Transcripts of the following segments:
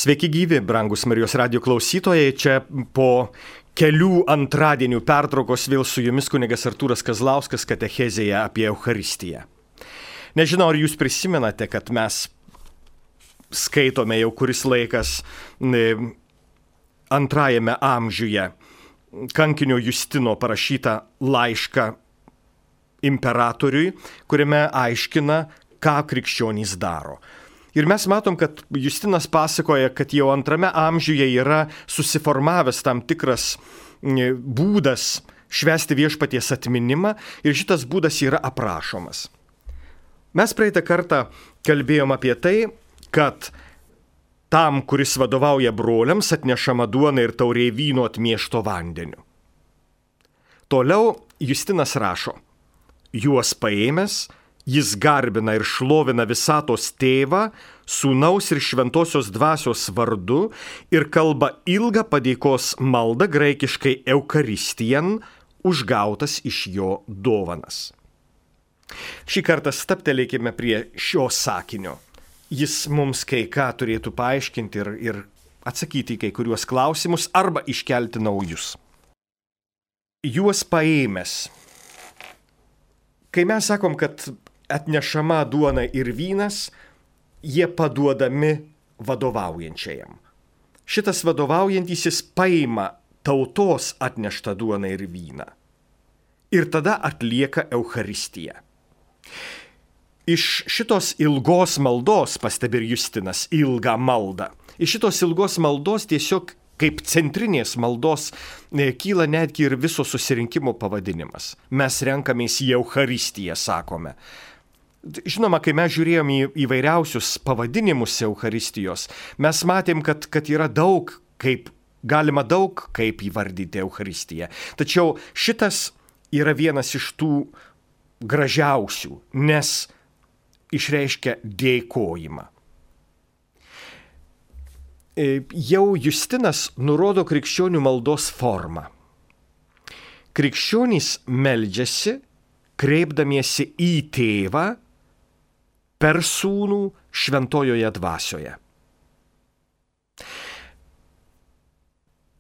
Sveiki gyvi, brangus Marijos radijo klausytojai. Čia po kelių antradienių pertraukos vėl su jumis kunigas Artūras Kazlauskas katechezėje apie Eucharistiją. Nežinau, ar jūs prisimenate, kad mes skaitome jau kuris laikas antrajame amžiuje kankinio Justino parašytą laišką imperatoriui, kuriame aiškina, ką krikščionys daro. Ir mes matom, kad Justinas pasakoja, kad jau antrame amžiuje yra susiformavęs tam tikras būdas švęsti viešpaties atminimą ir šitas būdas yra aprašomas. Mes praeitą kartą kalbėjom apie tai, kad tam, kuris vadovauja broliams, atnešama duona ir taurė vyno atmiešto vandeniu. Toliau Justinas rašo, juos paėmęs, jis garbina ir šlovina visatos tėvą, sūnaus ir šventosios dvasios vardu ir kalba ilgą padėkos maldą graikiškai Eucharistijan, užgautas iš jo dovanas. Šį kartą stabtelėkime prie šio sakinio. Jis mums kai ką turėtų paaiškinti ir atsakyti į kai kuriuos klausimus arba iškelti naujus. Juos paėmęs. Kai mes sakom, kad atnešama duona ir vynas, jie paduodami vadovaujančiajam. Šitas vadovaujantysis paima tautos atneštą duoną ir vyną. Ir tada atlieka Eucharistiją. Iš šitos ilgos maldos, pastebi ir Justinas, ilgą maldą, iš šitos ilgos maldos tiesiog kaip centrinės maldos kyla netgi ir viso susirinkimo pavadinimas. Mes renkamės į Eucharistiją, sakome. Žinoma, kai mes žiūrėjom į įvairiausius pavadinimus Eucharistijos, mes matėm, kad yra galima daug kaip įvardyti Eucharistiją. Tačiau šitas yra vienas iš tų gražiausių, nes išreiškia dėkojimą. Jau Justinas nurodo krikščionių maldos formą. Krikščionys meldžiasi, kreipdamiesi į tėvą per sūnų šventojoje dvasioje.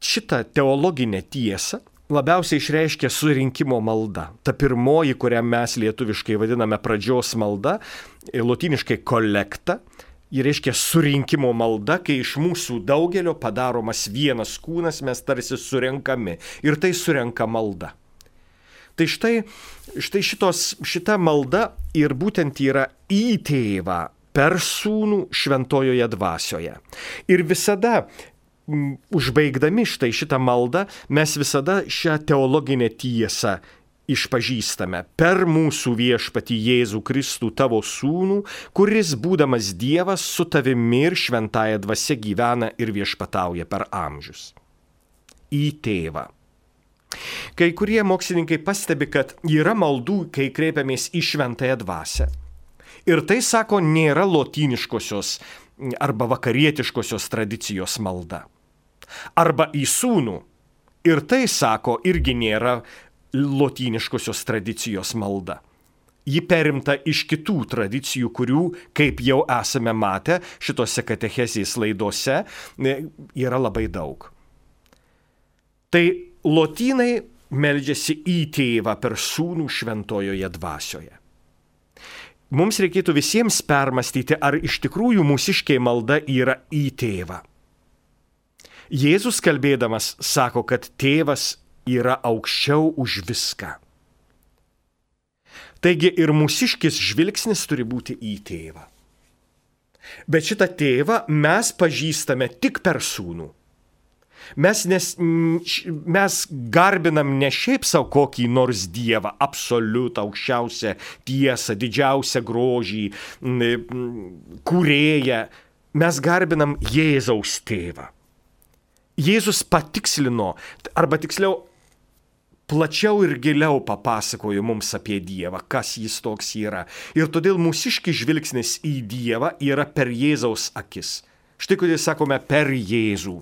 Šitą teologinę tiesą labiausiai išreiškia surinkimo malda. Ta pirmoji, kurią mes lietuviškai vadiname pradžios malda, lotyniškai kolekta, ji reiškia surinkimo malda, kai iš mūsų daugelio padaromas vienas kūnas, mes tarsi surenkami. Ir tai surenka malda. Tai štai šita malda ir būtent yra į tėvą per sūnų šventojoje dvasioje. Ir visada, užbaigdami šitą maldą, mes visada šią teologinę tiesą išpažįstame per mūsų viešpatį Jėzų Kristų tavo sūnų, kuris, būdamas Dievas, su tavimi ir šventąja dvasia gyvena ir viešpatauja per amžius. Į tėvą. Kai kurie mokslininkai pastebi, kad yra maldų, kai kreipiamės į šventąją dvasią. Ir tai, sako, nėra lotyniškosios arba vakarietiškosios tradicijos malda. Arba į sūnų. Ir tai, sako, irgi nėra lotyniškosios tradicijos malda. Ji perimta iš kitų tradicijų, kurių, kaip jau esame matę šitose katechezės laidose, yra labai daug. Tai lotynai meldžiasi į tėvą per sūnų šventojoje dvasioje. Mums reikėtų visiems permastyti, ar iš tikrųjų mūsiškiai malda yra į tėvą. Jėzus kalbėdamas sako, kad tėvas yra aukščiau už viską. Taigi ir mūsiškis žvilgsnis turi būti į tėvą. Bet šitą tėvą mes pažįstame tik per sūnų. Mes garbinam ne šiaip savo kokį nors Dievą, absoliutą, aukščiausią tiesą, didžiausią grožį, kūrėją. Mes garbinam Jėzaus tėvą. Jėzus patikslino, arba tiksliau, plačiau ir giliau papasakojo mums apie Dievą, kas jis toks yra. Ir todėl mūsiškis žvilgsnis į Dievą yra per Jėzaus akis. Štai kodėl sakome per Jėzų.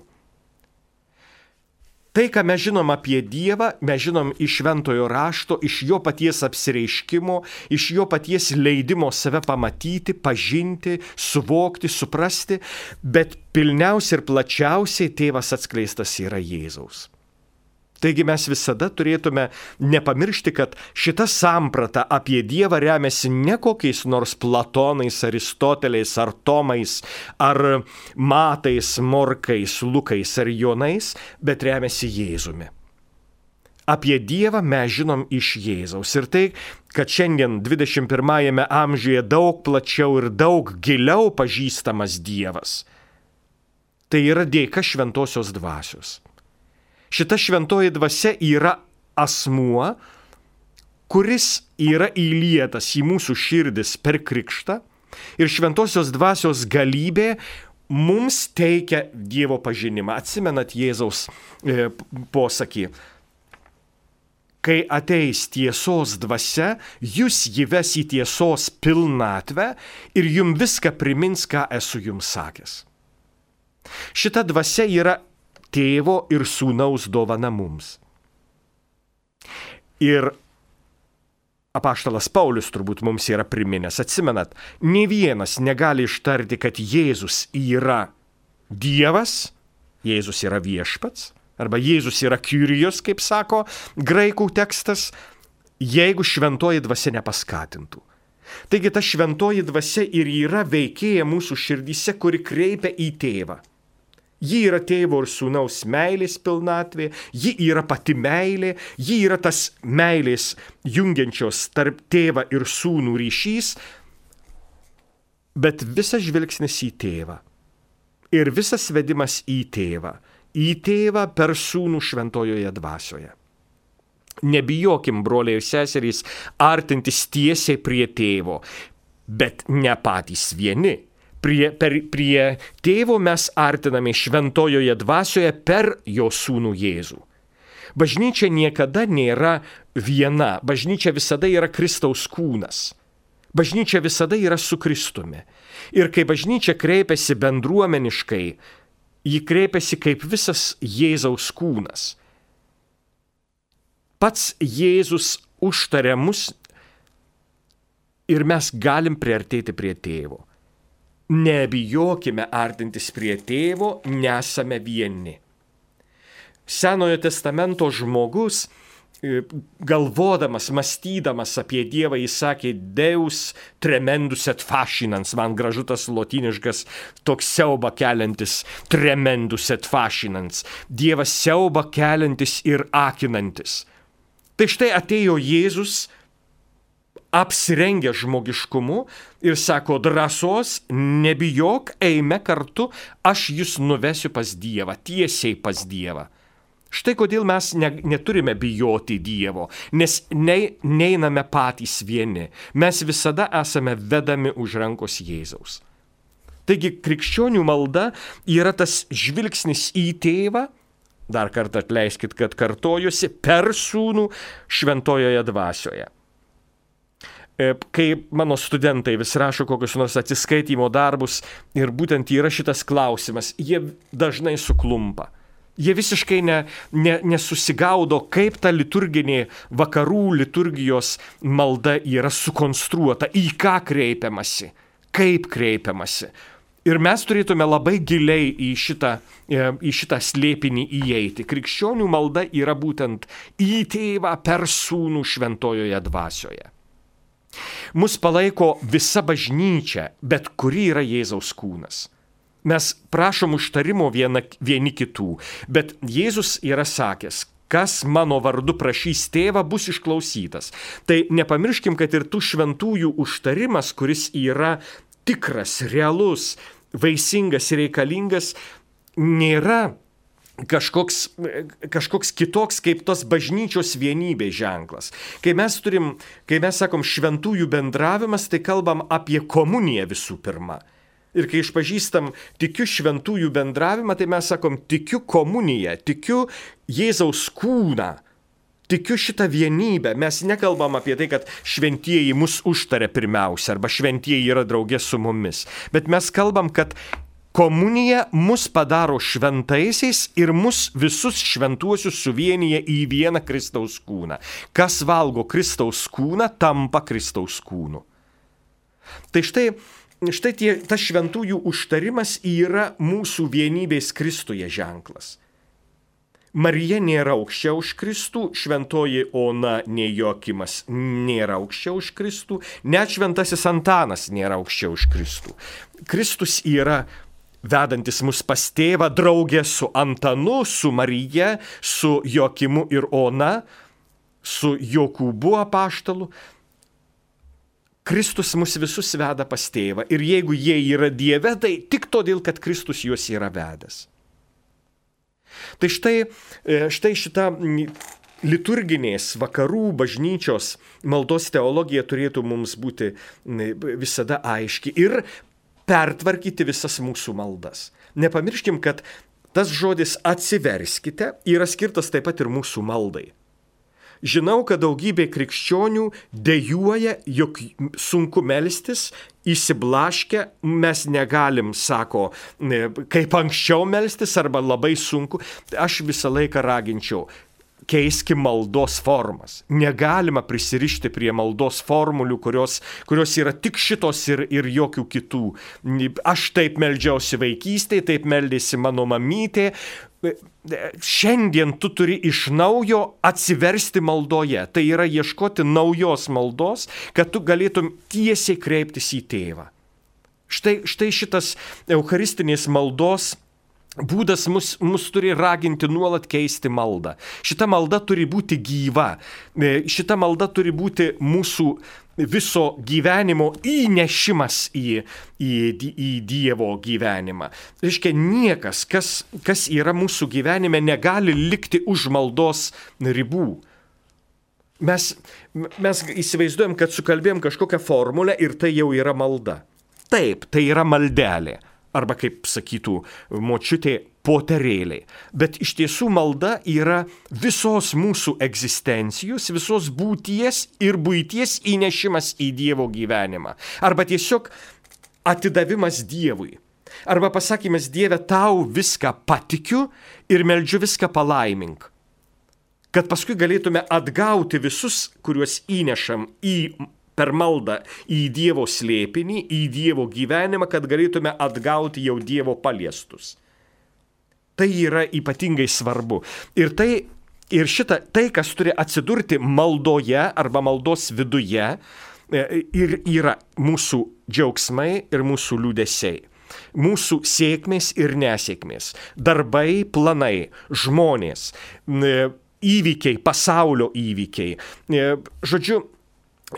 Tai, ką mes žinom apie Dievą, mes žinom iš šventojo rašto, iš jo paties apsireiškimo, iš jo paties leidimo save pamatyti, pažinti, suvokti, suprasti, bet pilniausiai ir plačiausiai tėvas atskleistas yra Jėzaus. Taigi mes visada turėtume nepamiršti, kad šita samprata apie Dievą remiasi ne kokiais nors Platonais, Aristoteliais, ar Tomais, ar Matais, Morkais, Lukais ar Jonais, bet remiasi Jėzumi. Apie Dievą mes žinom iš Jėzaus. Ir tai, kad šiandien 21 amžiuje daug plačiau ir daug giliau pažįstamas Dievas, tai yra dėka šventosios dvasios. Šita šventoji dvasia yra asmuo, kuris yra įlietas į mūsų širdis per krikštą ir šventosios dvasios galybė mums teikia Dievo pažinimą. Atsimenat Jėzaus posakį. Kai ateis tiesos dvasia, jūs jį ves į tiesos pilnatvę ir jums viską primins, ką esu jums sakęs. Šita dvasia yra Tėvo ir Sūnaus dovana mums. Ir apaštalas Paulius turbūt mums yra priminęs, atsimenat, nė vienas negali ištarti, kad Jėzus yra Dievas, Jėzus yra viešpats, arba Jėzus yra Kyrijos, kaip sako graikų tekstas, jeigu šventoji dvasia nepaskatintų. Taigi ta šventoji dvasia ir yra veikėja mūsų širdyse, kuri kreipia į tėvą. Ji yra tėvo ir sūnaus meilės pilnatvė, ji yra pati meilė, ji yra tas meilės jungiančios tarp tėvą ir sūnų ryšys, bet visas žvilgsnis į tėvą ir visas vedimas į tėvą per sūnų šventojoje dvasioje. Nebijokim, broliai ir seserys, artintis tiesiai prie tėvo, bet ne patys vieni. Prie tėvo mes artiname šventojoje dvasioje per jo sūnų Jėzų. Bažnyčia niekada nėra viena, bažnyčia visada yra Kristaus kūnas. Bažnyčia visada yra su Kristumi. Ir kai bažnyčia kreipiasi bendruomeniškai, ji kreipiasi kaip visas Jėzaus kūnas. Pats Jėzus užtaria mus ir mes galim priartėti prie tėvo. Nebijokime artintis prie tėvo, nesame vieni. Senojo testamento žmogus, galvodamas, mąstydamas apie Dievą, jis sakė, Deus tremendus et fascinans, man gražu tas lotyniškas toks siaubą keliantis, tremendus et fascinans, Dievas siaubą keliantis ir akinantis. Tai štai atėjo Jėzus, apsirengę žmogiškumu ir sako, drąsos, nebijok, eime kartu, aš jūs nuvesiu pas Dievą, tiesiai pas Dievą. Štai kodėl mes neturime bijoti Dievo, nes neiname patys vieni, mes visada esame vedami už rankos Jėzaus. Taigi krikščionių malda yra tas žvilgsnis į tėvą, dar kartą atleiskit, kad kartojusi, per sūnų šventojoje dvasioje. Kai mano studentai vis rašo kokius nors atsiskaitymo darbus ir būtent yra šitas klausimas, jie dažnai suklumpa. Jie visiškai nesusigaudo, kaip ta liturginė vakarų liturgijos malda yra sukonstruota, į ką kreipiamasi, kaip kreipiamasi. Ir mes turėtume labai giliai į šitą slėpinį įeiti. Krikščionių malda yra būtent į tėvą per sūnų šventojoje dvasioje. Mus palaiko visa bažnyčia, bet kuri yra Jėzaus kūnas. Mes prašom užtarimo vieni kitų, bet Jėzus yra sakęs, kas mano vardu prašys tėvą, bus išklausytas. Tai nepamirškim, kad ir tų šventųjų užtarimas, kuris yra tikras, realus, vaisingas ir reikalingas, nėra kažkoks kitoks kaip tos bažnyčios vienybės ženklas. Kai mes sakom šventųjų bendravimas, tai kalbam apie komuniją visų pirma. Ir kai išpažįstam tikiu šventųjų bendravimą, tai mes sakom tikiu komuniją, tikiu Jėzaus kūną, tikiu šitą vienybę. Mes nekalbam apie tai, kad šventieji mus užtaria pirmiausia, arba šventieji yra draugė su mumis. Bet mes kalbam, kad Komunija mus padaro šventaisiais ir mus visus šventuosius suvienyje į vieną Kristaus kūną. Kas valgo Kristaus kūną, tampa Kristaus kūnu. Tai štai tas šventųjų užtarimas yra mūsų vienybės Kristuje ženklas. Marija nėra aukščiau už Kristų, šventoji Ona nei Joakimas nėra aukščiau už Kristų, net šventasis Antanas nėra aukščiau už Kristų. Kristus yra vedantis mus pas tėvą draugė su Antanu, su Marija, su Joakimu ir Ona, su Jokūbu apaštalu. Kristus mus visus veda pas tėvą ir jeigu jie yra Dieve, tai tik todėl, kad Kristus juos yra vedęs. Tai štai šita liturginės vakarų bažnyčios maldos teologija turėtų mums būti visada aiški ir pertvarkyti visas mūsų maldas. Nepamirškim, kad tas žodis atsiverskite yra skirtas taip pat ir mūsų maldai. Žinau, kad daugybė krikščionių dejuoja, jog sunku melstis, įsiblaškę, mes negalim, sako, kaip anksčiau melstis arba labai sunku. Aš visą laiką raginčiau, keiski maldos formas. Negalima prisirišti prie maldos formulių, kurios yra tik šitos ir jokių kitų. Aš taip meldžiausi vaikystėje, taip meldėsi mano mamytė. Šiandien tu turi iš naujo atsiversti maldoje. Tai yra ieškoti naujos maldos, kad tu galėtum tiesiai kreiptis į tėvą. Štai šitas eucharistinės maldos būdas mus turi raginti nuolat keisti maldą. Šita malda turi būti gyva. Šita malda turi būti mūsų viso gyvenimo įnešimas į Dievo gyvenimą. Reiškia, niekas, kas yra mūsų gyvenime, negali likti už maldos ribų. Mes įsivaizduojam, kad sukalbėjom kažkokią formulę ir tai jau yra malda. Taip, tai yra maldelė. Arba, kaip sakytų močiutė, poterėliai. Bet iš tiesų malda yra visos mūsų egzistencijos, visos būties ir buities įnešimas į Dievo gyvenimą. Arba tiesiog atidavimas Dievui. Arba pasakymas: Dieve, tau viską patikiu ir meldžiu viską palaimink. Kad paskui galėtume atgauti visus, kuriuos įnešam per maldą į Dievo slėpinį, į Dievo gyvenimą, kad galėtume atgauti jau Dievo paliestus. Tai yra ypatingai svarbu. Ir tai, kas turi atsidurti maldoje arba maldos viduje, ir yra mūsų džiaugsmai ir mūsų liūdesiai. Mūsų sėkmės ir nesėkmės. Darbai, planai, žmonės, įvykiai, pasaulio įvykiai. Žodžiu,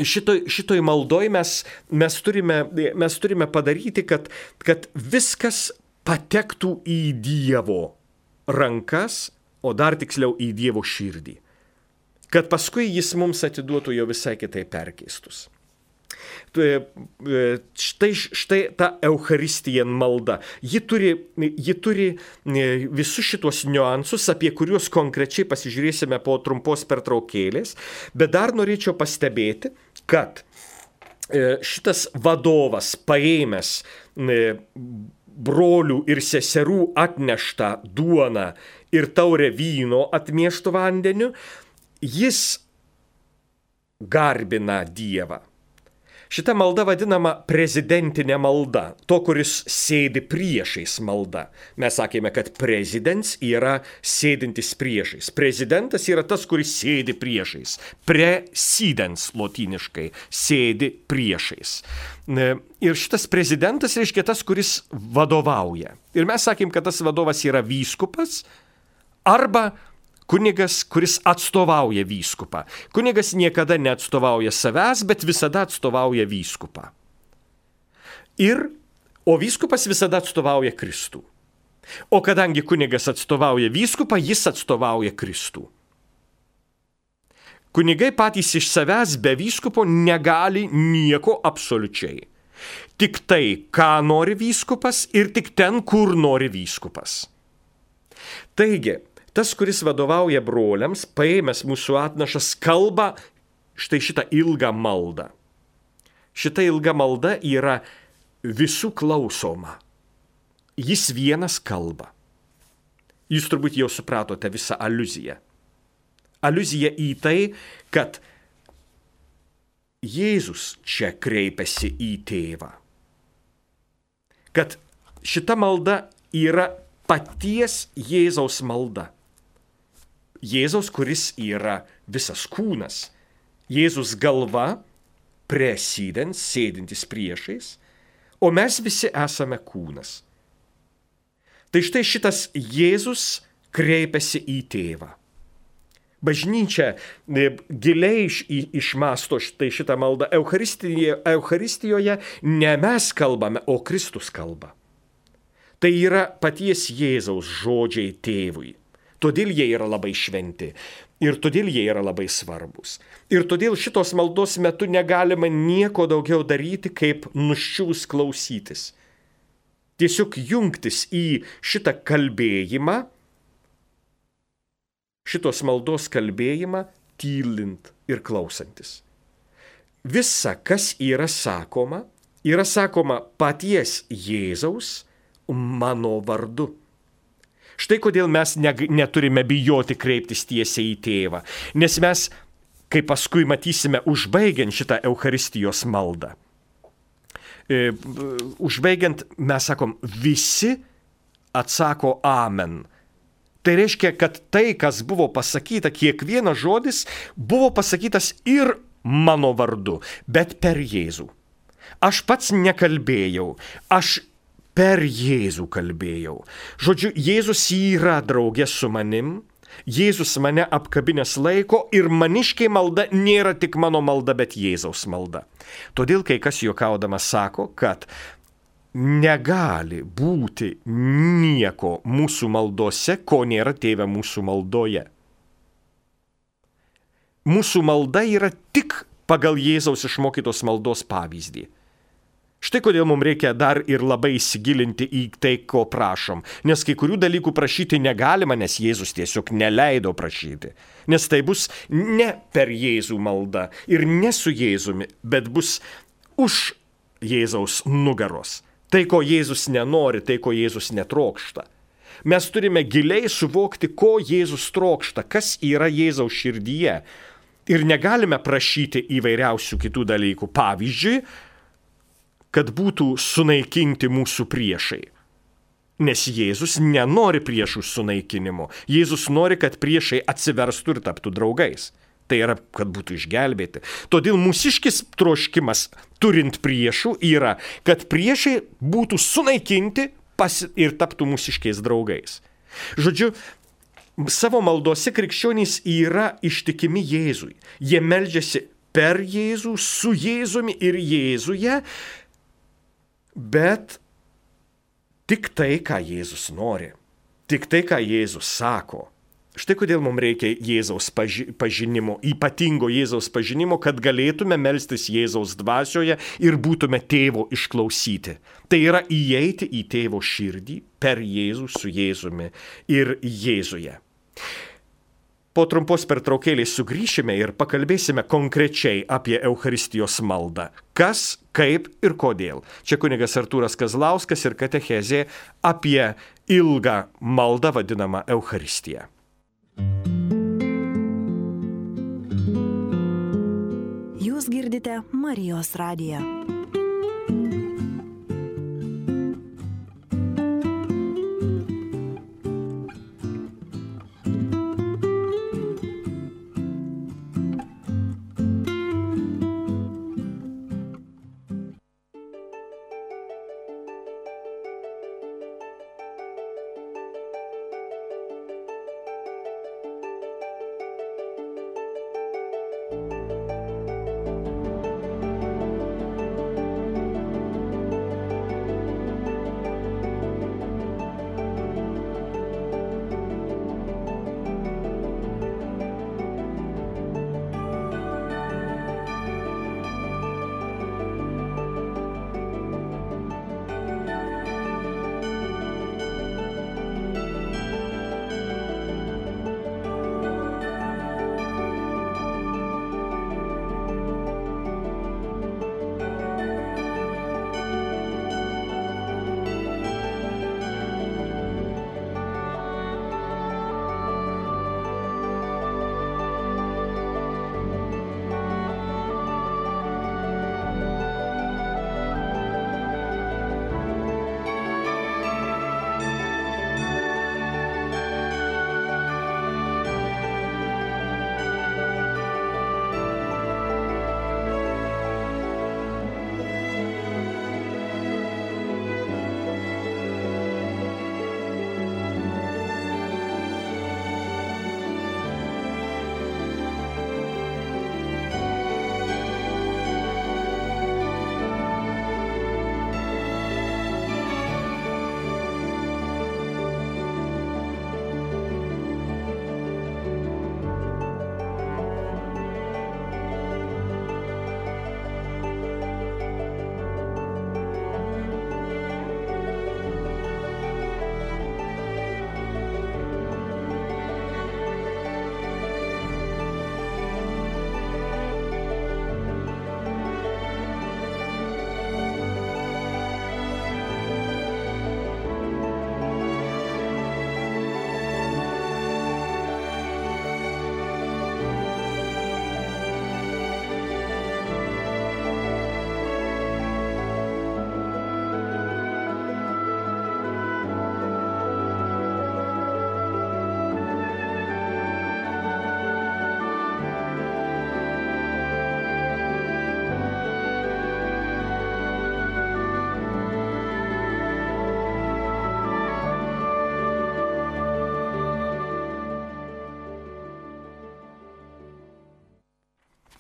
šitoj maldoj mes turime padaryti, kad viskas patektų į Dievo rankas, o dar tiksliau į Dievo širdį. Kad paskui jis mums atiduotų jau visai kitai perkeistus. Štai ta Eucharistija malda. Ji turi visus šitos niuansus, apie kuriuos konkrečiai pasižiūrėsime po trumpos pertraukėlės, bet dar norėčiau pastebėti, kad šitas vadovas paėmęs brolių ir seserų atneštą duoną ir taurę vyno atmieštų vandeniu, jis garbina Dievą. Šita malda vadinama prezidentinė malda, to, kuris sėdi priešais malda. Mes sakėme, kad prezidents yra sėdintis priešais. Prezidentas yra tas, kuris sėdi priešais. Presidens lotyniškai sėdi priešais. Ir šitas prezidentas reiškia tas, kuris vadovauja. Ir mes sakėm, kad tas vadovas yra vyskupas arba kunigas, kuris atstovauja vyskupą. Kunigas niekada neatstovauja savęs, bet visada atstovauja vyskupą. O vyskupas visada atstovauja Kristų. O kadangi kunigas atstovauja vyskupą, jis atstovauja Kristų. Kunigai patys iš savęs be vyskupo negali nieko absoliučiai. Tik tai, ką nori vyskupas ir tik ten, kur nori vyskupas. Taigi, tas, kuris vadovauja broliams, paėmęs mūsų atnašas, kalba štai šitą ilgą maldą. Šita ilga malda yra visų klausoma. jis vienas kalba. Jūs turbūt jau supratote visą aliuziją. Aliuzija į tai, kad Jėzus čia kreipiasi į tėvą. Kad šita malda yra paties Jėzaus malda. Jėzaus, kuris yra visas kūnas. Jėzus galva, presidens, sėdintis priešais, o mes visi esame kūnas. Tai štai šitas Jėzus kreipiasi į tėvą. Bažnyčia giliai išmasto šitą maldą. Eucharistijoje ne mes kalbame, o Kristus kalba. Tai yra paties Jėzaus žodžiai tėvui. Todėl jie yra labai šventi ir todėl jie yra labai svarbus. Ir todėl šitos maldos metu negalima nieko daugiau daryti, kaip nuščiūs klausytis. Tiesiog jungtis į šitą kalbėjimą, šitos maldos kalbėjimą, tylint ir klausantis. Visa, kas yra sakoma paties Jėzaus mano vardu. Štai kodėl mes neturime bijoti kreiptis tiesiai į tėvą, nes mes, kaip paskui matysime, užbaigiant šitą Eucharistijos maldą, užbaigiant mes sakom, visi atsako amen. Tai reiškia, kad tai, kas buvo pasakyta, kiekvienas žodis buvo pasakytas ir mano vardu, bet per Jėzų. Aš pats nekalbėjau, aš per Jėzų kalbėjau. Žodžiu, Jėzus yra draugė su manim, Jėzus mane apkabinęs laiko ir maniškai malda nėra tik mano malda, bet Jėzaus malda. Todėl kai kas juokaudamas sako, kad negali būti nieko mūsų maldose, ko nėra tėve mūsų maldoje. Mūsų malda yra tik pagal Jėzaus išmokytos maldos pavyzdį. Štai kodėl mums reikia dar ir labai įsigilinti į tai, ko prašom. Nes kai kurių dalykų prašyti negalima, nes Jėzus tiesiog neleido prašyti. Nes tai bus ne per Jėzų maldą ir ne su Jėzumi, bet bus už Jėzaus nugaros. Tai, ko Jėzus nenori, tai, ko Jėzus netrokšta. Mes turime giliai suvokti, ko Jėzus trokšta, kas yra Jėzaus širdyje. Ir negalime prašyti įvairiausių kitų dalykų. Pavyzdžiui, kad būtų sunaikinti mūsų priešai. Nes Jėzus nenori priešų sunaikinimo. Jėzus nori, kad priešai atsiverstų ir taptų draugais. Tai yra, kad būtų išgelbėti. Todėl mūsiškis troškimas, turint priešų, yra, kad priešai būtų sunaikinti ir taptų mūsiškiais draugais. Žodžiu, savo maldose krikščionys yra ištikimi Jėzui. Jie meldžiasi per Jėzų, su Jėzumi ir Jėzuje, bet tik tai, ką Jėzus nori. Tik tai, ką Jėzus sako. Štai kodėl mums reikia Jėzaus pažinimo, ypatingo Jėzaus pažinimo, kad galėtume melstis Jėzaus dvasioje ir būtume tėvo išklausyti. Tai yra įeiti į tėvo širdį per Jėzų su Jėzumi ir Jėzuje. Po trumpos pertraukėlės sugrįšime ir pakalbėsime konkrečiai apie Eucharistijos maldą. Kas, kaip ir kodėl. Čia kunigas Artūras Kazlauskas ir katechezė apie ilgą maldą vadinamą Eucharistiją. Jūs girdite Marijos radiją.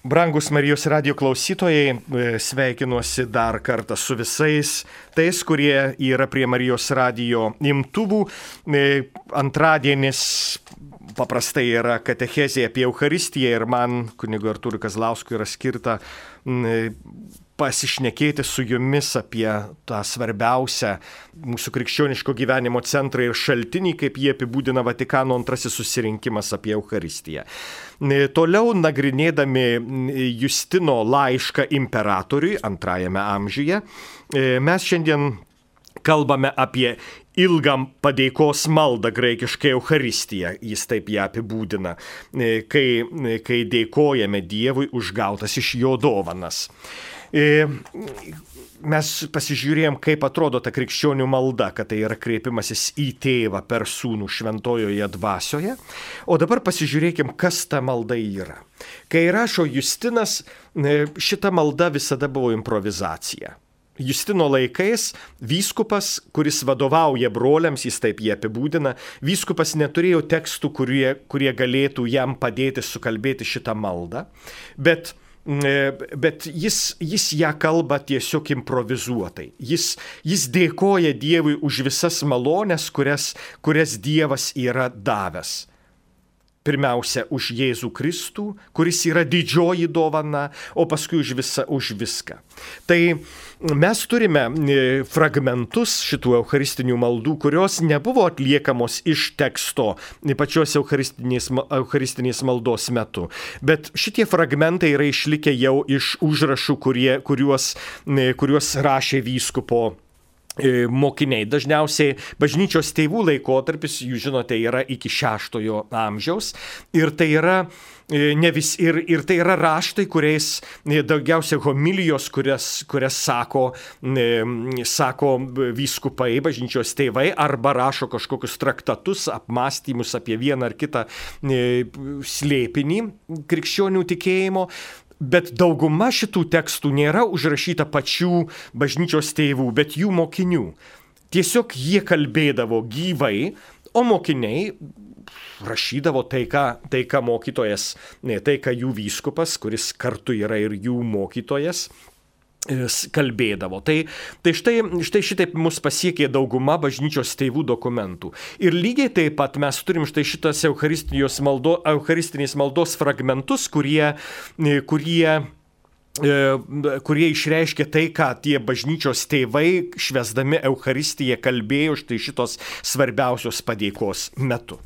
Brangus Marijos radijo klausytojai, sveikinuosi dar kartą su visais tais, kurie yra prie Marijos radijo imtuvų. Antradienis paprastai yra katechezė apie Eucharistiją ir man, kunigo Artūrui Kazlauskui, yra skirta pasišnekėti su jumis apie tą svarbiausią mūsų krikščioniško gyvenimo centrą ir šaltinį, kaip jie apibūdina Vatikano antrasis susirinkimas apie Eucharistiją. Toliau nagrinėdami Justino laišką imperatoriui antrajame amžiuje, mes šiandien kalbame apie ilgam padėkos maldą, graikiškai Eucharistiją, jis taip ją apibūdina, kai dėkojame Dievui už gautas iš jo dovanas. Mes pasižiūrėjom, kaip atrodo ta krikščionių malda, kad tai yra kreipimasis į tėvą per sūnų šventojoje dvasioje. O dabar pasižiūrėkim, kas ta malda yra. Kai rašo Justinas, šita malda visada buvo improvizacija. Justino laikais vyskupas, kuris vadovauja broliams, jis taip jį apibūdina, vyskupas neturėjo tekstų, kurie galėtų jam padėti sukalbėti šitą maldą, bet jis ją kalba tiesiog improvizuotai. Jis dėkoja Dievui už visas malones, kurias Dievas yra davęs. Pirmiausia, už Jėzų Kristų, kuris yra didžioji dovana, o paskui už viską. Tai mes turime fragmentus šitų eucharistinių maldų, kurios nebuvo atliekamos iš teksto pačios eucharistinės maldos metu. Bet šitie fragmentai yra išlikę jau iš užrašų, kuriuos rašė vyskupo mokiniai. Dažniausiai bažnyčios tėvų laikotarpis, jūs žinote, yra iki 6 amžiaus ir tai yra ir tai yra raštai, kuriais daugiausia homilijos, kurias sako vyskupai, bažnyčios tėvai, arba rašo kažkokius traktatus, apmąstymus apie vieną ar kitą slėpinį krikščionių tikėjimo. Bet dauguma šitų tekstų nėra užrašyta pačių bažnyčios tėvų, bet jų mokinių. Tiesiog jie kalbėdavo gyvai, o mokiniai rašydavo tai, ką mokytojas, tai, ką jų vyskupas, kuris kartu yra ir jų mokytojas, kalbėdavo. Tai štai šitaip mus pasiekė dauguma bažnyčios tėvų dokumentų. Ir lygiai taip pat mes turim štai šitas eucharistinės maldos fragmentus, kurie išreiškia tai, ką tie bažnyčios tėvai švęsdami Eucharistiją kalbėjo štai šitos svarbiausios padėkos metu.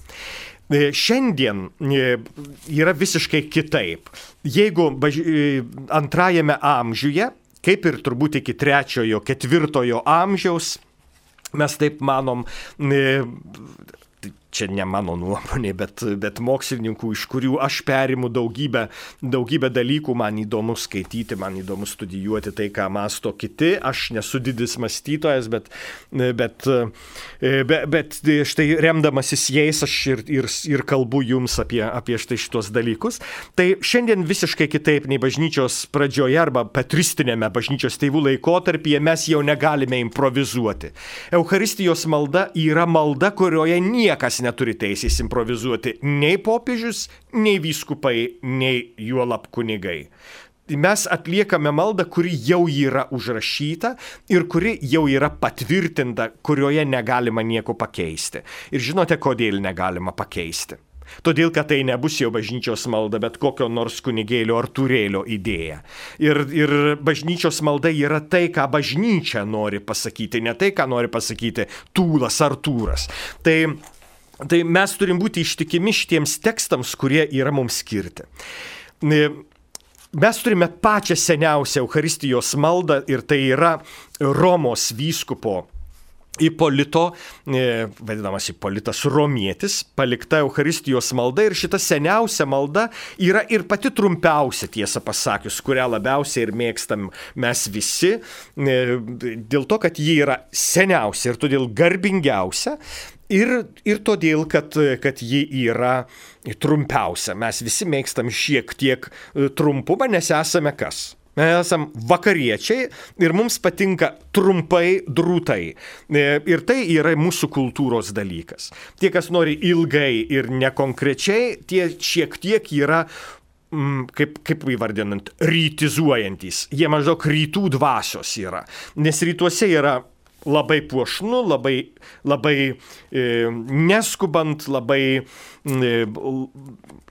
Šiandien yra visiškai kitaip. Jeigu antrajame amžiuje, kaip ir turbūt iki 3-4 amžiaus, mes taip manom, čia ne mano nuomonė, bet mokslininkų, iš kurių aš perimu daugybę dalykų, man įdomu skaityti, man įdomu studijuoti tai, ką mąsto kiti. Aš nesu didis mąstytojas, bet štai remdamasis jais aš ir kalbu jums apie štai šitos dalykus. Tai šiandien visiškai kitaip nei bažnyčios pradžioje arba patristinėme bažnyčios tėvų laikotarpyje mes jau negalime improvizuoti. Eucharistijos malda yra malda, kurioje niekas neturi teisės improvizuoti, nei popiežius, nei vyskupai, nei juolab kunigai. Mes atliekame maldą, kuri jau yra užrašyta ir kuri jau yra patvirtinta, kurioje negalima nieko pakeisti. Ir žinote, kodėl negalima pakeisti? Todėl, kad tai nebus jau bažnyčios malda, bet kokio nors kunigėlio ar turėlio idėja. Ir bažnyčios malda yra tai, ką bažnyčia nori pasakyti, ne tai, ką nori pasakyti Tūlas ar Tūras. Tai mes turim būti ištikimi šitiems tekstams, kurie yra mums skirti. Mes turime pačią seniausią Eucharistijos maldą ir tai yra Romos vyskupo Ipolito, vadinamas Ipolitas Romietis, palikta Eucharistijos malda, ir šita seniausia malda yra ir pati trumpiausia, tiesą pasakius, kurią labiausiai ir mėgstam mes visi, dėl to, kad ji yra seniausia ir todėl garbingiausia. Ir todėl, kad ji yra trumpiausia. Mes visi mėgstam šiek tiek trumpumą, nes esame kas? Mes esame vakariečiai ir mums patinka trumpai, drūtai. Ir tai yra mūsų kultūros dalykas. Tie, kas nori ilgai ir nekonkrečiai, tie šiek tiek yra kaip įvardinant, rytizuojantys. Jie maždaug rytų dvasios yra. Nes rytuose yra labai puošnu, labai neskubant, labai,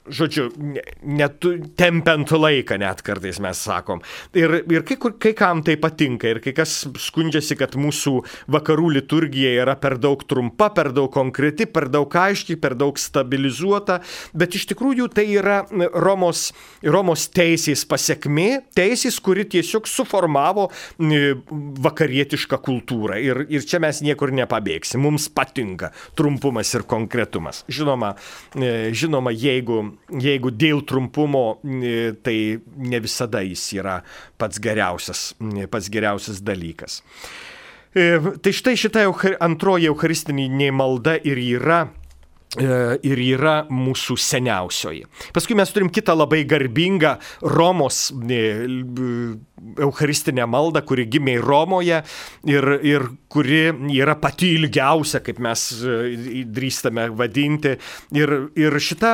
žodžiu, tempiant laiką net kartais mes sakom. Ir kai kam tai patinka, ir kai kas skundžiasi, kad mūsų vakarų liturgija yra per daug trumpa, per daug konkreti, per daug aiški, per daug stabilizuota, bet iš tikrųjų tai yra Romos teisės pasekmė, teisės, kuri tiesiog suformavo vakarietišką kultūrą. Ir čia mes niekur nepabėgsim. Mums patinka trumpumas ir konkretumas. Žinoma, jeigu dėl trumpumo, tai ne visada jis yra pats geriausias dalykas. Tai štai šita antroji eucharistinė malda ir yra mūsų seniausioji. Paskui mes turim kitą labai garbingą Romos eucharistinę maldą, kuri gimė Romoje ir kuri yra pati ilgiausia, kaip mes drįstame vadinti. Ir šita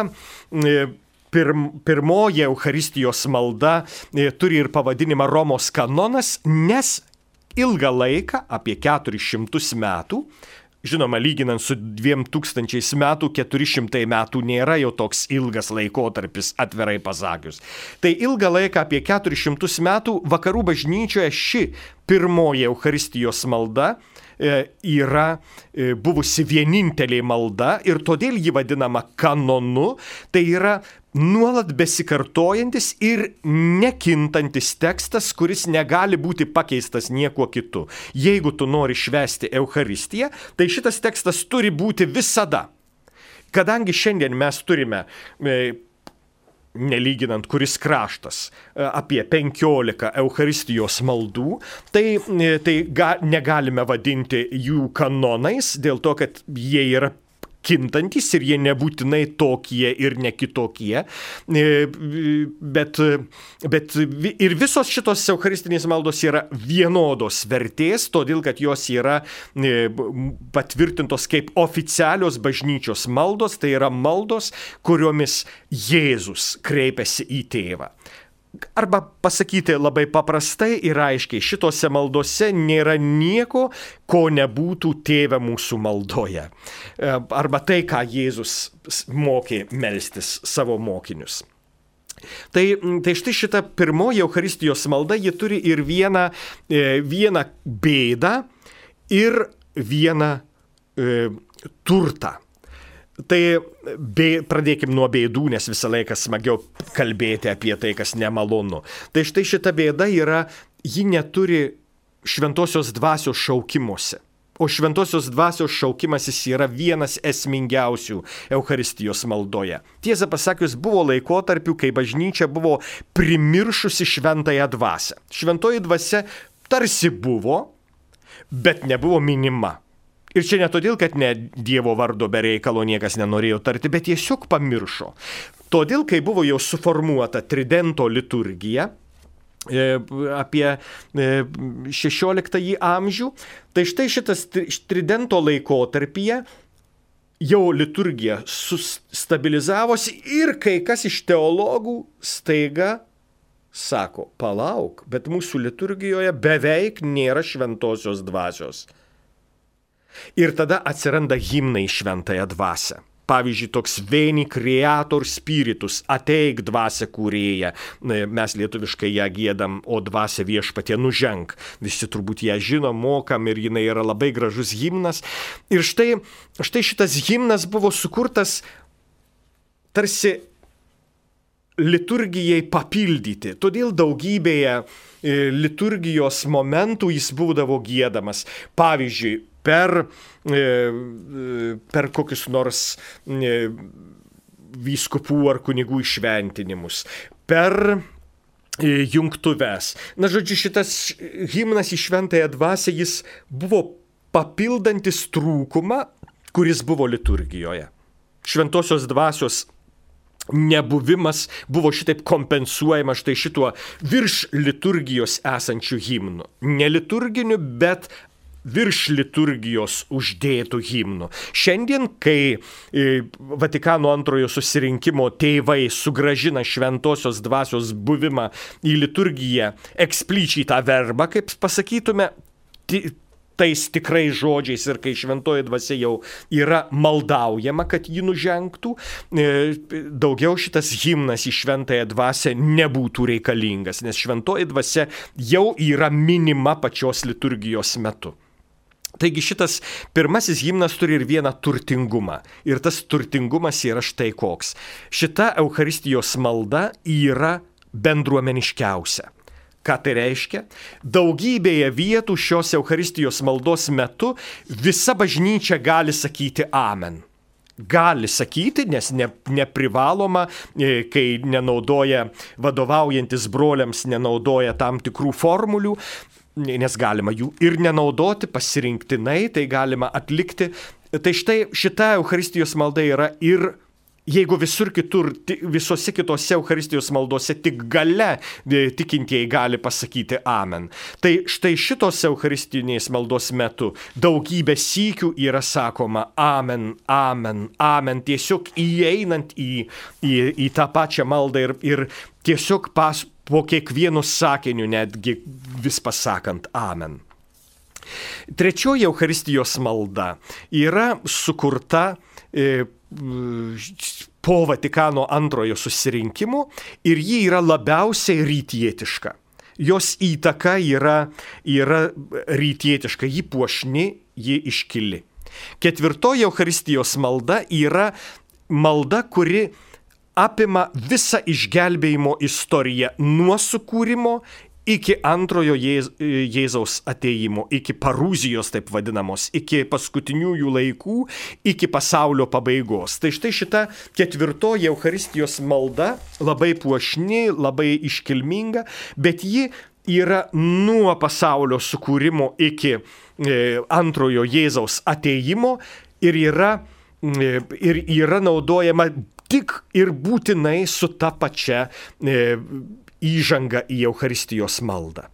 pirmoji eucharistijos malda turi ir pavadinimą Romos kanonas, nes ilgą laiką, apie 400 metų, žinoma, lyginant su 2000 metų, 400 metų nėra jau toks ilgas laikotarpis, atvirai pasakius. Tai ilgą laiką, apie 400 metų, vakarų bažnyčioje ši pirmoji eucharistijos malda yra buvusi vienintelė malda ir todėl ji vadinama kanonu. Tai yra nuolat besikartojantis ir nekintantis tekstas, kuris negali būti pakeistas niekuo kitu. Jeigu tu nori švęsti Eucharistiją, tai šitas tekstas turi būti visada. Kadangi šiandien mes turime, nelyginant kuris kraštas, apie 15 Eucharistijos maldų, tai negalime vadinti jų kanonais, dėl to, kad jie yra kintantis ir jie nebūtinai tokie ir ne kitokie, bet ir visos šitos eucharistinės maldos yra vienodos vertės, todėl kad jos yra patvirtintos kaip oficialios bažnyčios maldos, tai yra maldos, kuriomis Jėzus kreipiasi į tėvą. Arba pasakyti labai paprastai ir aiškiai, šitose maldose nėra nieko, ko nebūtų tėve mūsų maldoje. Arba tai, ką Jėzus mokė melstis savo mokinius. Tai štai šita pirmoji Eucharistijos malda, ji turi ir vieną bėdą ir vieną turtą. Tai pradėkim nuo bėdų, nes visą laiką smagiau kalbėti apie tai, kas nemalonu. Tai štai šita bėda yra, ji neturi šventosios dvasios šaukimuose. O šventosios dvasios šaukimasis yra vienas esmingiausių Eucharistijos maldoje. Tiesą pasakius, buvo laikotarpių, kai bažnyčia buvo primiršusi šventąją dvasią. Šventoji dvasia tarsi buvo, bet nebuvo minima. Ir čia ne todėl, kad ne Dievo vardo be reikalo niekas nenorėjo tarti, bet tiesiog pamiršo. Todėl, kai buvo jau suformuota tridento liturgija apie 16 amžių, tai štai šitas tridento laikotarpyje jau liturgija sustabilizavosi ir kai kas iš teologų staiga sako, palauk, bet mūsų liturgijoje beveik nėra šventosios dvasios. Ir tada atsiranda himnai šventąją dvasią. Pavyzdžiui, toks Veni Creator Spiritus, ateik dvasia kūrėja. Mes lietuviškai ją giedam, o dvasia viešpatie nuženk. Visi turbūt ją žino, mokam ir jinai yra labai gražus himnas. Ir štai šitas himnas buvo sukurtas tarsi liturgijai papildyti. Todėl daugybėje liturgijos momentų jis būdavo giedamas. Pavyzdžiui, per kokius nors vyskupų ar kunigų įšventinimus, per jungtuves. Na, žodžiu, šitas himnas į šventąją dvasią, jis buvo papildantis trūkumą, kuris buvo liturgijoje. Šventosios dvasios nebuvimas buvo šitaip kompensuojama štai šituo virš liturgijos esančių himnų. Ne liturginiu, bet virš liturgijos uždėtų himnų. Šiandien, kai Vatikano antrojo susirinkimo tėvai sugrąžina šventosios dvasios buvimą į liturgiją eksplicitą verbą, kaip pasakytume, tais tikrai žodžiais ir kai šventoji dvasia jau yra maldaujama, kad ji nužengtų, daugiau šitas himnas į šventąją dvasią nebūtų reikalingas, nes šventoji dvasia jau yra minima pačios liturgijos metu. Taigi šitas pirmasis himnas turi ir vieną turtingumą. Ir tas turtingumas yra štai koks. Šita Eucharistijos malda yra bendruomeniškiausia. Ką tai reiškia? Daugybėje vietų šios Eucharistijos maldos metu visa bažnyčia gali sakyti amen. Gali sakyti, nes neprivaloma, kai nenaudoja, vadovaujantis broliams, nenaudoja tam tikrų formulių, nes galima jų ir nenaudoti pasirinktinai, tai galima atlikti. Tai štai šita Eucharistijos malda yra ir jeigu visur kitur, visose kitose Eucharistijos maldose tik gale tikintieji gali pasakyti amen. Tai štai šitos Eucharistinės maldos metu daugybė sykių yra sakoma amen, amen, amen, tiesiog įeinant į tą pačią maldą ir tiesiog po kiekvienu sakiniu netgi vis pasakant amen. Trečioji Eucharistijos malda yra sukurta po Vatikano antrojo susirinkimo ir ji yra labiausiai rytietiška. Jos įtaka yra rytietiška, ji puošni, ji iškili. Ketvirtoji Eucharistijos malda yra malda, kuri apima visą išgelbėjimo istoriją nuo sukūrimo iki antrojo Jėzaus atėjimo, iki parūzijos taip vadinamos, iki paskutiniųjų laikų, iki pasaulio pabaigos. Tai štai šita ketvirtoji Eucharistijos malda labai puošni, labai iškilminga, bet ji yra nuo pasaulio sukūrimo iki antrojo Jėzaus atėjimo ir yra naudojama tik ir būtinai su ta pačia įžanga į Eucharistijos maldą.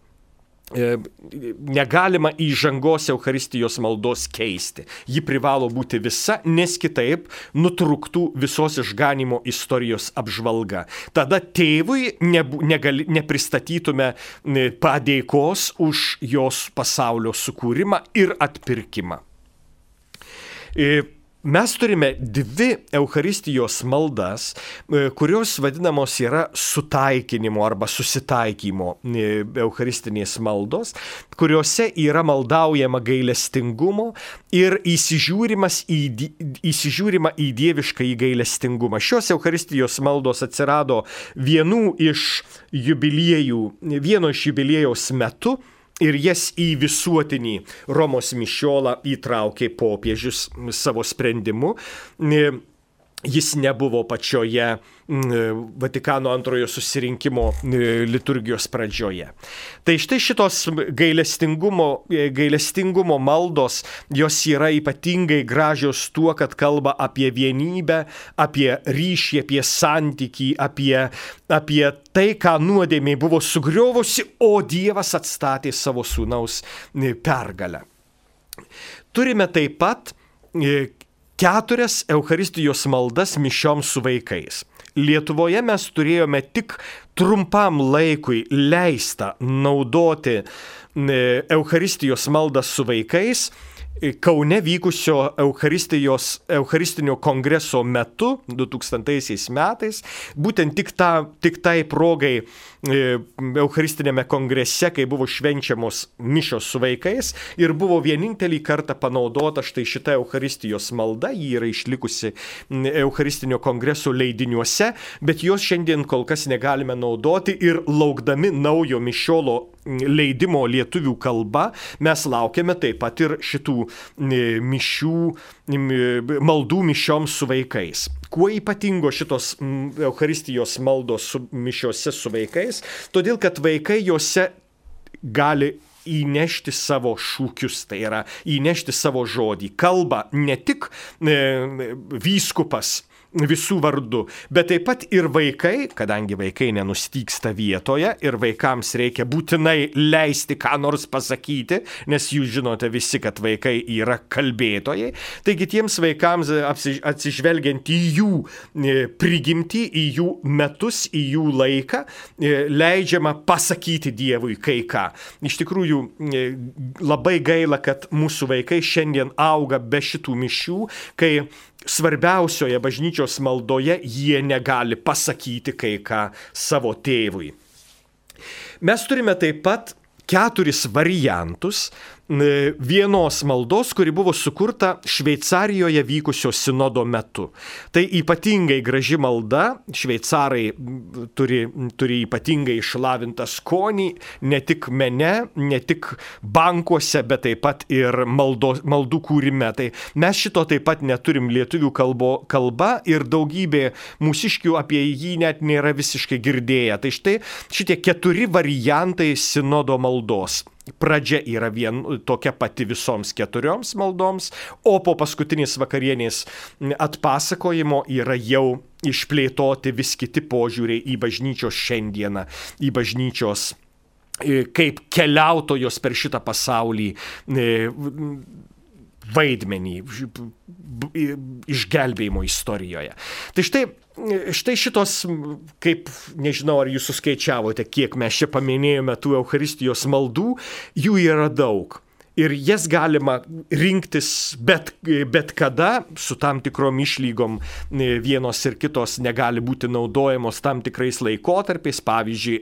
Negalima įžangos Eucharistijos maldos keisti. Ji privalo būti visa, nes kitaip nutrūktų visos išganimo istorijos apžvalga. Tada tėvui nepristatytume padėkos už jos pasaulio sukūrimą ir atpirkimą. Mes turime dvi Eucharistijos maldas, kurios vadinamos yra sutaikinimo arba susitaikymo Eucharistinės maldos, kuriuose yra maldaujama gailestingumo ir įsižiūrima į dievišką gailestingumą. Šios Eucharistijos maldos atsirado vieno iš jubiliejaus metu, ir jas į visuotinį Romos mišiolą įtraukė popiežius savo sprendimu. Jis nebuvo pačioje Vatikano antrojo susirinkimo liturgijos pradžioje. Tai štai šitos gailestingumo maldos, jos yra ypatingai gražios tuo, kad kalba apie vienybę, apie ryšį, apie santykį, apie tai, ką nuodėmė buvo sugriovusi, o Dievas atstatė savo sūnaus pergalę. Turime taip pat 4 Eucharistijos maldas mišioms su vaikais. Lietuvoje mes turėjome tik trumpam laikui leistą naudoti Eucharistijos maldą su vaikais Kaune vykusio Eucharistinio kongreso metu 2000 metais, būtent tik tai progai Eucharistinėme kongrese, kai buvo švenčiamos mišios su vaikais ir buvo vienintelį kartą panaudota štai šita Eucharistijos malda, ji yra išlikusi Eucharistinio kongreso leidiniuose, bet jos šiandien kol kas negalime naudoti ir laukdami naujo mišiolo leidimo lietuvių kalba, mes laukiame taip pat ir šitų maldų mišioms su vaikais. Kuo ypatingo šitos Eucharistijos maldos mišiose su vaikais? Todėl, kad vaikai juose gali įnešti savo šūkius, tai yra įnešti savo žodį. Kalba ne tik vyskupas visų vardu, bet taip pat ir vaikai, kadangi vaikai nenustygsta vietoje ir vaikams reikia būtinai leisti ką nors pasakyti, nes jūs žinote visi, kad vaikai yra kalbėtojai, taigi tiems vaikams atsižvelgiant į jų prigimtį, į jų metus, į jų laiką, leidžiama pasakyti Dievui kai ką. Iš tikrųjų, labai gaila, kad mūsų vaikai šiandien auga be šitų mišių, kai svarbiausioje bažnyčios maldoje jie negali pasakyti kai ką savo tėvui. Mes turime taip pat 4 variantus vienos maldos, kuri buvo sukurta Šveicarijoje vykusio sinodo metu. Tai ypatingai graži malda, šveicarai turi ypatingai išlavintą skonį, ne tik mene, ne tik bankuose, bet taip pat ir maldų kūrime. Tai mes šito taip pat neturim lietuvių kalba ir daugybė mūsiškių apie jį net nėra visiškai girdėję. Tai štai šitie 4 variantai sinodo maldos. Pradžia yra tokia pati visoms 4 maldoms, o po paskutinės vakarienės atpasakojimo yra jau išplėtoti vis kiti požiūriai į bažnyčios šiandieną, į bažnyčios kaip keliautojos per šitą pasaulį vaidmenį išgelbėjimo istorijoje. Tai štai šitos, kaip, nežinau, ar jūs suskaičiavote, kiek mes čia paminėjome tų Eucharistijos maldų, jų yra daug. Ir jas galima rinktis bet kada, su tam tikrom išlygom, vienos ir kitos negali būti naudojamos tam tikrais laikotarpiais. Pavyzdžiui,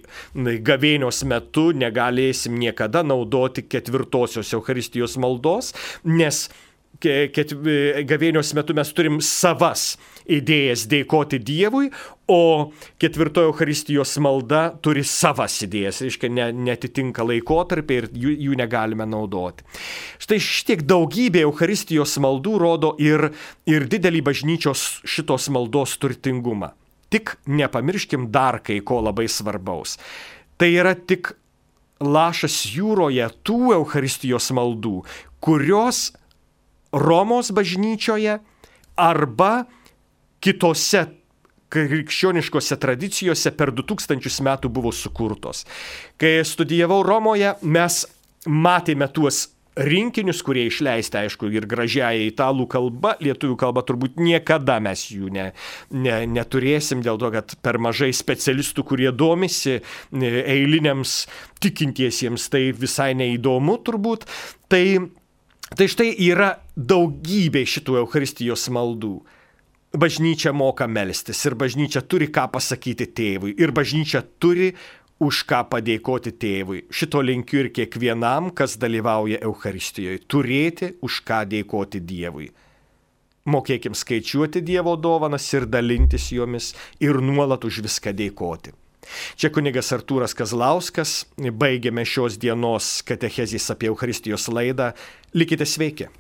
gavėnios metu negalėsim niekada naudoti 4-osios Eucharistijos maldos, nes gavėnios metu mes turim savas idėjas dėkoti Dievui, o 4 Eucharistijos malda turi savas idėjas, reiškia netitinka laikotarpį ir jų negalime naudoti. Štai šitiek daugybė Eucharistijos maldų rodo ir didelį bažnyčios šitos maldos turtingumą. Tik nepamirškim dar kai ko labai svarbaus. Tai yra tik lašas jūroje tų Eucharistijos maldų, kurios Romos bažnyčioje arba kitose krikščioniškose tradicijose per 2000 metų buvo sukurtos. Kai studijavau Romoje, mes matėme tuos rinkinius, kurie išleisti, aišku, ir gražiąją italų kalbą, lietuvių kalbą turbūt niekada mes jų neturėsim, dėl to, kad per mažai specialistų, kurie domisi, eiliniams tikintiesiems tai visai neįdomu turbūt. Tai štai yra daugybė šitų Eucharistijos maldų. Bažnyčia moka melstis ir bažnyčia turi ką pasakyti tėvui ir bažnyčia turi už ką padėkoti tėvui. Šito linkiu ir kiekvienam, kas dalyvauja Eucharistijoje, turėti už ką dėkoti Dievui. Mokėkim skaičiuoti Dievo dovanas ir dalintis jomis ir nuolat už viską dėkoti. Čia kunigas Artūras Kazlauskas, baigiame šios dienos katechezės apie Eucharistijos laidą. Likite sveiki.